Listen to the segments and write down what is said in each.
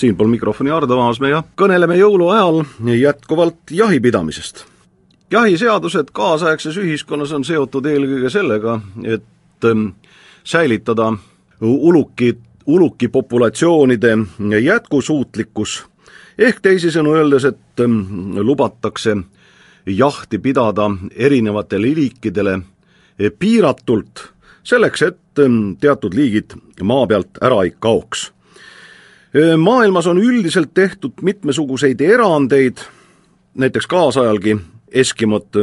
Siinpool mikrofoni Ardo Vaasmäe ja kõneleme jõuluajal jätkuvalt jahipidamisest. Jahiseadused kaasaegses ühiskonnas on seotud eelkõige sellega, et säilitada uluki populatsioonide jätkusuutlikkus, ehk teisisõnu öeldes, et lubatakse jahti pidada erinevatele liikidele piiratult, selleks, et teatud liigid maa pealt ära ei kaoks. Maailmas on üldiselt tehtud mitmesuguseid erandeid, näiteks kaasajalgi Eskimod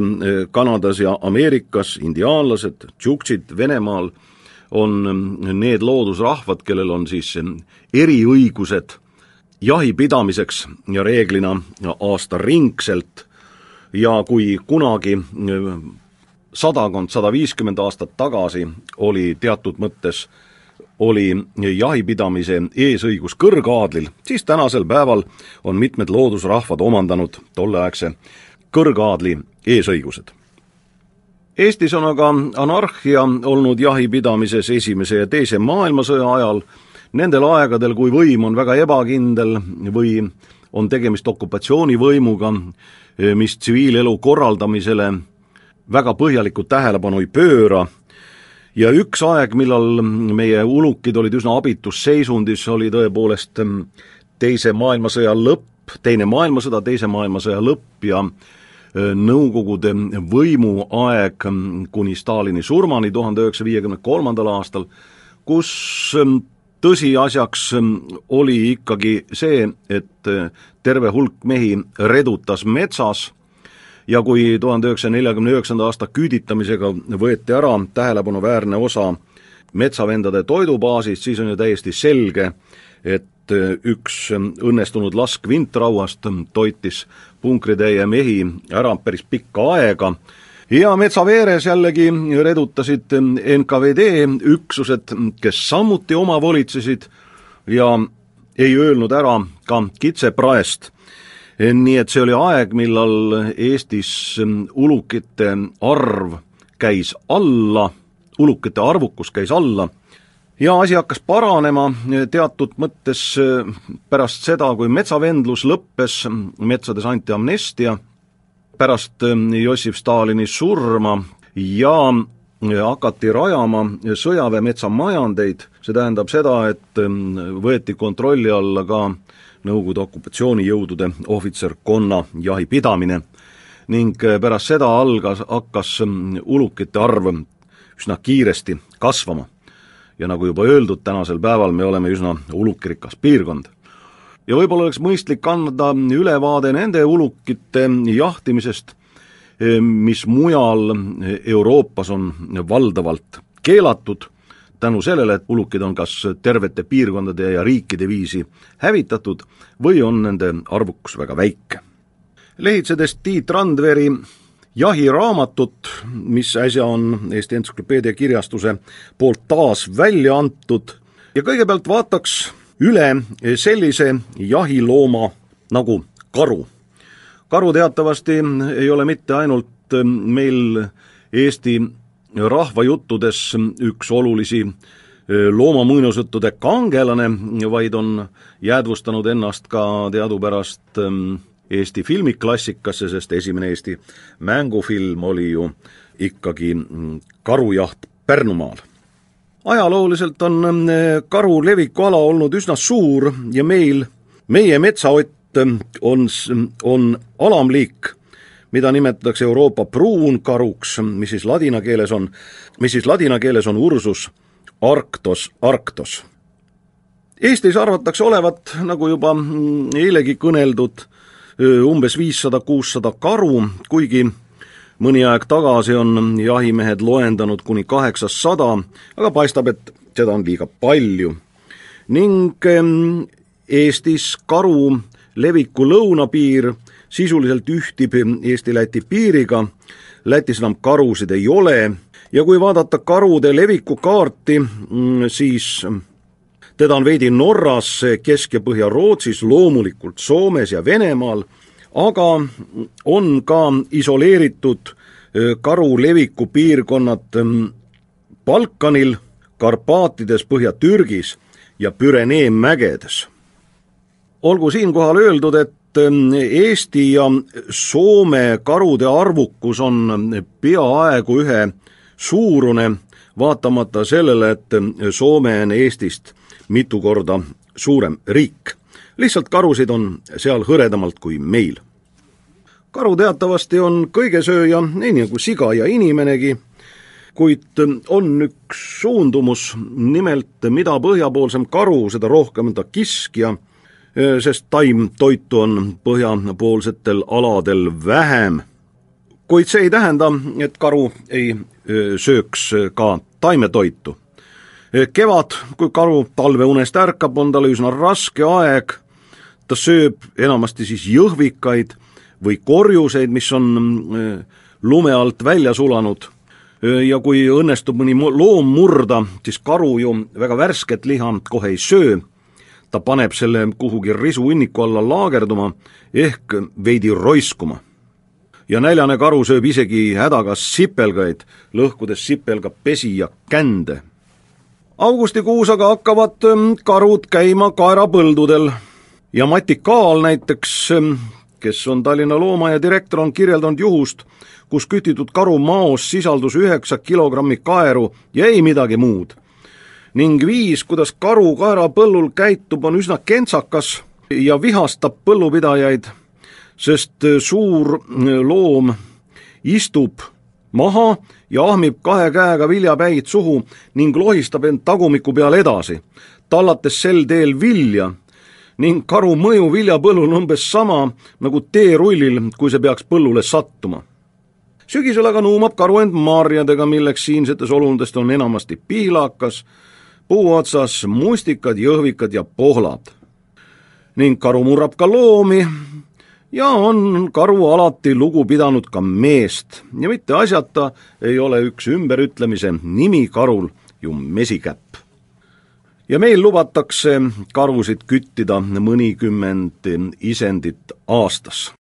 Kanadas ja Ameerikas, indiaanlased, tšuktsid Venemaal on need loodusrahvad, kellel on siis eriõigused jahipidamiseks ja reeglina aastaringselt. Ja kui kunagi 100–150 aastat tagasi oli teatud mõttes jahipidamise eesõigus kõrgaadlil, siis tänasel päeval on mitmed loodusrahvad omandanud tolleaegse kõrgaadli eesõigused. Eestis on aga anarhia olnud jahipidamises esimese ja teise maailmasõja ajal, nendel aegadel, kui võim on väga ebakindel või on tegemist okupatsioonivõimuga, mis tsiviilelu korraldamisele väga põhjalikku tähelepanu ei pööra. Ja üks aeg, millal meie ulukid olid üsna abitus seisundis, oli tõepoolest teise maailmasõja lõpp ja Nõukogude võimu aeg kuni Stalini surmani 1953. aastal, kus tõsiasjaks oli ikkagi see, et terve hulk mehi redutas metsas ja kui 1949. aasta küüditamisega võeti ära tähelepanuväärne osa metsavendade toidubaasist, siis on ju täiesti selge, et üks õnnestunud lask vintrauast toitis punkritäie mehi ära päris pikka aega ja metsa veeres jällegi redutasid NKVD üksused, kes samuti oma volitsesid ja ei öelnud ära ka kitsepraest. Nii et see oli aeg, millal Eestis ulukite arvukus käis alla ja asi hakkas paranema teatud mõttes pärast seda, kui metsavendlus lõppes, metsades anti amnestia pärast Jossif Stalini surma ja hakati rajama sõjaväemetsamajandeid. See tähendab seda, et võeti kontrolli alla ka Nõukogude okupatsioonijõudude ohvitserkonna jahipidamine ning pärast seda hakkas ulukite arv üsna kiiresti kasvama. Ja nagu juba öeldud, tänasel päeval me oleme üsna ulukirikas piirkond. Ja võib-olla oleks mõistlik anda ülevaade nende ulukite jahtimisest, mis mujal Euroopas on valdavalt keelatud, tänu sellele, et ulukid on kas tervete piirkondade ja riikide viisi hävitatud või on nende arvukus väga väike. Lehitsedes Tiit Randveri jahiraamatut, mis äsja on Eesti Entsüklopeedia kirjastuse poolt taas välja antud, ja kõigepealt vaataks üle sellise jahilooma nagu karu. Karu teatavasti ei ole mitte ainult meil Eesti rahvajuttudes üks olulisi loomamuinasjuttude kangelane, vaid on jäädvustanud ennast ka teadupärast Eesti filmiklassikasse, sest esimene Eesti mängufilm oli ju ikkagi Karujaht Pärnumaal. Ajalooliselt on karu levikuala olnud üsna suur ja meie metsaott on alamliik, mida nimetatakse Euroopa pruunkaruks, mis siis ladina keeles on Ursus arctos. Eestis arvatakse olevat, nagu juba eilegi kõneldud, umbes 500–600 karu, kuigi mõni aeg tagasi on jahimehed loendanud kuni 800, aga paistab, et seda on liiga palju. Ning Eestis karu leviku lõunapiir sisuliselt ühtib Eesti-Läti piiriga, Lätis enam karusid ei ole ja kui vaadata karude leviku kaarti, siis teda on veidi Norras, Kesk- ja Põhja-Rootsis, loomulikult Soomes ja Venemaal, aga on ka isoleeritud karu leviku piirkonnad Balkanil, Karpaatides, Põhja-Türgis ja Pürenee mägedes. olgu siinkohal öeldud, et Eesti ja Soome karude arvukus on peaaegu ühe suurune, vaatamata sellele, et Soome on Eestist mitu korda suurem riik. Lihtsalt karusid on seal hõredamalt kui meil. Karu teatavasti on kõigesööja, nii nagu siga ja inimenegi, kuid on üks suundumus, nimelt mida põhjapoolsem karu, seda rohkem ta kiskja, sest taimtoitu on põhjapoolsetel aladel vähem. Kuid see ei tähenda, et karu ei sööks ka taimetoitu. Kevad, kui karu talveunest ärkab, on tal üsna raske aeg. Ta sööb enamasti siis jõhvikaid või korjuseid, mis on lume alt välja sulanud. Ja kui õnnestub mõni loom murda, siis karu ju väga värsket liha kohe ei söö. Ta paneb selle kuhugi risuinniku alla laagerduma ehk veidi roiskuma. Ja näljane karu sööb isegi hädaga sipelgaid, lõhkudes sipelga pesi ja kände. Augustikuus aga hakkavad karud käima kaerapõldudel ja Mati Kaal näiteks, kes on Tallinna loomaaia direktor, on kirjeldanud juhust, kus kütitud karu maos sisaldus 9 kilogrammi kaeru ja ei midagi muud. Ning viis, kuidas karu kaerapõllul käitub, on üsna kentsakas ja vihastab põllupidajaid, sest suur loom istub maha ja ahmib 2 käega viljapäid suhu ning lohistab end tagumiku peal edasi, tallates sel teel vilja, ning karu mõju viljapõllul on umbes sama nagu teerullil, kui see peaks põllule sattuma. Sügisel aga nuumab karu end marjadega, milleks siinsetes olundest on enamasti pihlakas, puuotsas mustikad, jõhvikad ja pohlad. Ning karu murrab ka loomi ja on karu alati lugu pidanud ka meest ja mitte asjata ei ole üks ümberütlemise nimi karul ju mesikäpp. Ja meil lubatakse karusid küttida mõnikümmend isendit aastas.